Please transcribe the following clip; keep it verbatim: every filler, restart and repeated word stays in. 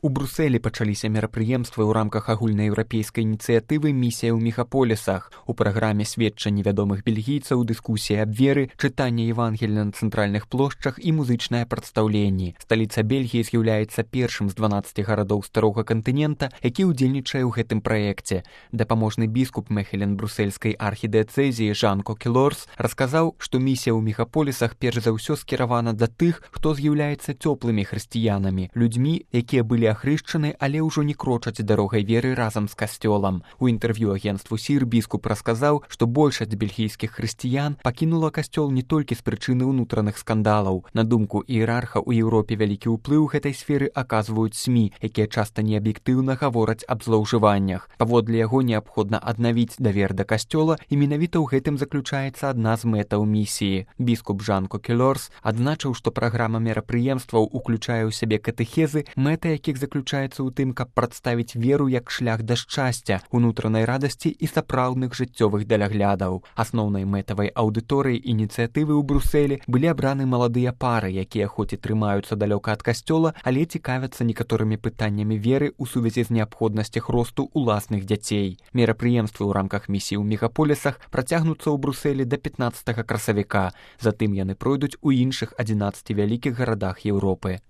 У Брусэлі пачаліся мерапрыемствы ў рамках агульнаеўрапейскай ініцыятывы «Місія ў мегаполісах». У праграме сведчанні вядомых бельгійцаў, дыскусія аб веры, чытанне Евангелія на цэнтральных плошчах і музычнае прадстаўленне. Сталіца Бельгіі з'яўляецца першым з дванаццаці гарадоў старога кантынента, які ўдзельнічае ў гэтым праекце. Дапаможны біскуп Мехелен брусельскай архідыяцэзіі Жан Кокелорс расказаў, што місія ў мегаполісах перш за ўсё скіравана да тых, хто з'яўляецца цёплымі хрысціянамі, людзьмі, якія былі ахрышчаны, але ўжо не крочаць дарогай веры разам з касцёлам. У інтэрв'ю агенцтву Сір біскуп расказаў, што большасць бельгійскіх хрысціян пакінула касцёл не толькі з прычыны ўнутраных скандалаў. На думку іерарха, у Еўропе вялікі ўплыў гэтай сферы аказваюць СМІ, якія часта неаб'ектыўна гавораць аб злоўжываннях. Паводле яго неабходна аднавіць давер да касцёла, і менавіта ў гэтым заключаецца адна з мэтаў місіі. Біскуп Жан Кокелорс адзначыў, што праграма мерапрыемстваў уключае ў сябе катэхезы, мэта якіх заключаецца ў тым, каб прадставіць веру як шлях да шчасця, унутранай радасці і сапраўдных жыццёвых даляглядаў. Асноўнай мэтавай аўдыторыяй ініцыятывы ў Брусэлі былі абраны маладыя пары, якія хоць і трымаюцца далёка ад касцёла, але цікавяцца некаторымі пытаннямі веры ў сувязі з неабходнасцях росту ўласных дзяцей. Мерапрыемствы ў рамках місіі ў мегаполісах працягнуцца ў Брусэлі да пятнаццатага красавіка. Затым яны пройдуць у іншых адзінаццаці вялікіх гарадах Еўропы.